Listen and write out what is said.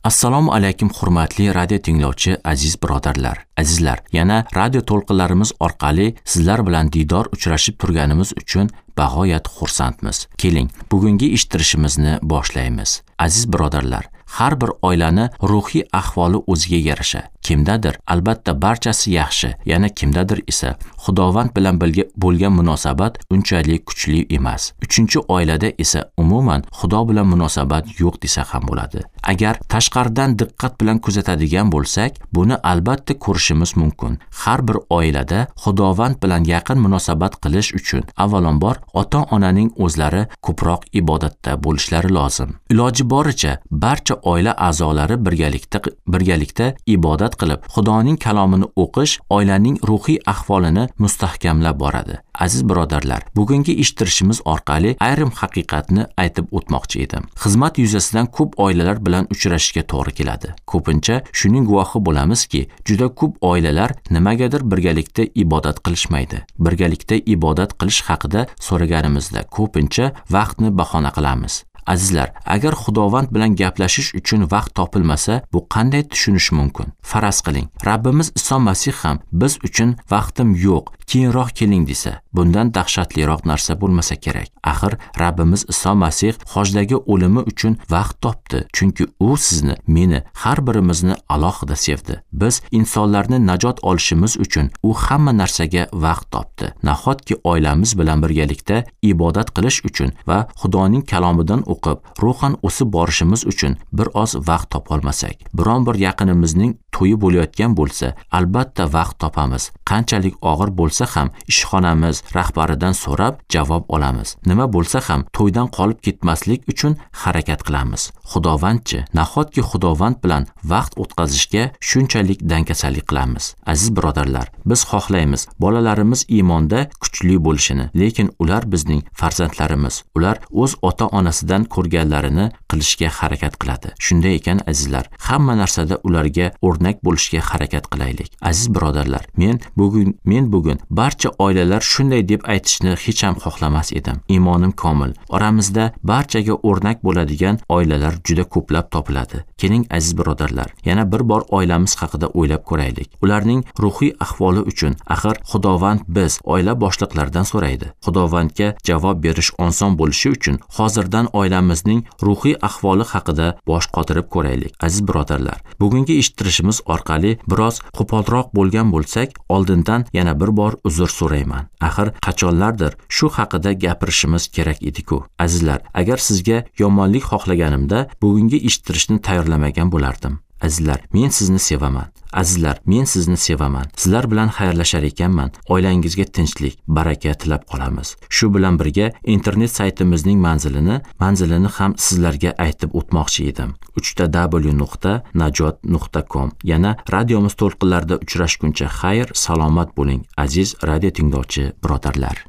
Assalomu alaykum hurmatli radio tinglovchi aziz birodarlar. Azizlar, yana radio to'lqinlarimiz orqali sizlar bilan diydor uchrashib turganimiz uchun bag'oyat xursandmiz. Keling, bugungi eshittirishimizni boshlaymiz. Aziz birodarlar, har bir oilani ruhiy ahvoli o'ziga yarasha. Kimdadir albatta barchasi yaxshi, yana kimdadir esa Xudovand bilan birga bo'lgan munosabat unchalik kuchli emas. Uchinchi oilada esa umuman Xudo bilan munosabat yo'q desa ham bo'ladi. Agar tashqaridan diqqat bilan kuzatadigan bo'lsak, buni albatta ko'rishimiz mumkin. Har bir oilada Xudovand bilan yaqin munosabat qilish uchun avvalambor ota-onaning o'zlari ko'proq ibodatda bo'lishlari lozim. Iloji boricha barcha oila a'zolari birgalikda ibodat qilib, Xudoning kalomini o'qish oilaning ruhiy ahvolini mustahkamlab boradi. Aziz birodarlar, bugungi eshittirishimiz orqali ayrim haqiqatni aytib o'tmoqchi edim. Xizmat yuzasidan ko'p oilalar bilan uchrashishga to'g'ri keladi. Ko'pincha shuning guvohi bo'lamizki, juda ko'p oilalar nimagadir birgalikda ibodat qilishmaydi. Birgalikda ibodat qilish haqida so'raganimizda ko'pincha vaqtni bahona qilamiz. Azizlar, agar Xudovand bilan gaplashish uchun vaqt topilmasa, bu qanday tushunish mumkin? Faraz qiling, Rabbimiz Iso Masih ham biz uchun vaqtim yo'q, keyinroq keling desa, bundan dahshatliroq narsa bo'lmasa kerak. Axir Rabbimiz Iso Masih xojdagi o'limi uchun vaqt topdi, chunki u sizni, meni, har birimizni alohida sevdi. Biz insonlarni najot olishimiz uchun u hamma narsaga vaqt topdi. Nahotki oilamiz bilan birgalikda ibodat qilish uchun va Xudoning kalomidan o'qib, ruhan o'sib borishimiz uchun bir oz vaqt topolmasak, biron bir yaqinimizning to'yi bo'layotgan bo'lsa, albatta vaqt topamiz. Qanchalik og'ir bo'lsa ham ishxonamiz rahbaridan so'rab javob olamiz. Nima bo'lsa ham to'ydan qolib ketmaslik uchun harakat qilamiz. Xudovandchi, nahotki Xudovand bilan vaqt o'tkazishga shunchalik dangasalik qilamiz. Aziz birodarlar, biz xohlaymiz bolalarimiz iymonda kuchli bo'lishini, lekin ular bizning farzandlarimiz. Ular o'z ota-onasidan ko'rganlarini qilishga harakat qiladi. Shunday ekan azizlar, hamma narsada ularga o'rnak bo'lishga harakat qilaylik. Aziz birodarlar, men bugun barcha oilalar shunday deb aytishni hech ham xohlamas edim. Iymonim komil. Oramizda barchaga o'rnak bo'ladigan oilalar juda ko'plab topiladi. Keling aziz birodarlar, yana bir bor oilamiz haqida o'ylab ko'raylik. Ularning ruhiy ahvoli uchun axir Xudovand biz oila boshliqlaridan so'raydi. Xudovandga javob berish oson bo'lishi uchun hozirdan oilamizning ruhiy ahvoli haqida bosh qotirib ko'raylik. Aziz birodarlar, bugungi eshittirishimiz orqali biroz qo'polroq bo'lgan bo'lsak, oldindan yana bir bor uzr so'rayman. Axir qachonlardir shu haqida gapirishimiz kerak edi-ku. Azizlar, agar sizga yomonlik xohlaganimda bugungi eshittirishni tayyorlamagan bo'lardim. Azizlar, men sizni sevaman. Azizlar, men sizni sevaman. Sizlar bilan xayrlashar ekanman, oilangizga tinchlik, baraka tilab qolamiz. Shu bilan birga internet saytimizning manzilini ham sizlarga aytib o'tmoqchi edim. www.najot.com. Yana radiomiz to'lqinlarida uchrashguncha xayr, salomat bo'ling, aziz radio tinglovchi birodarlar.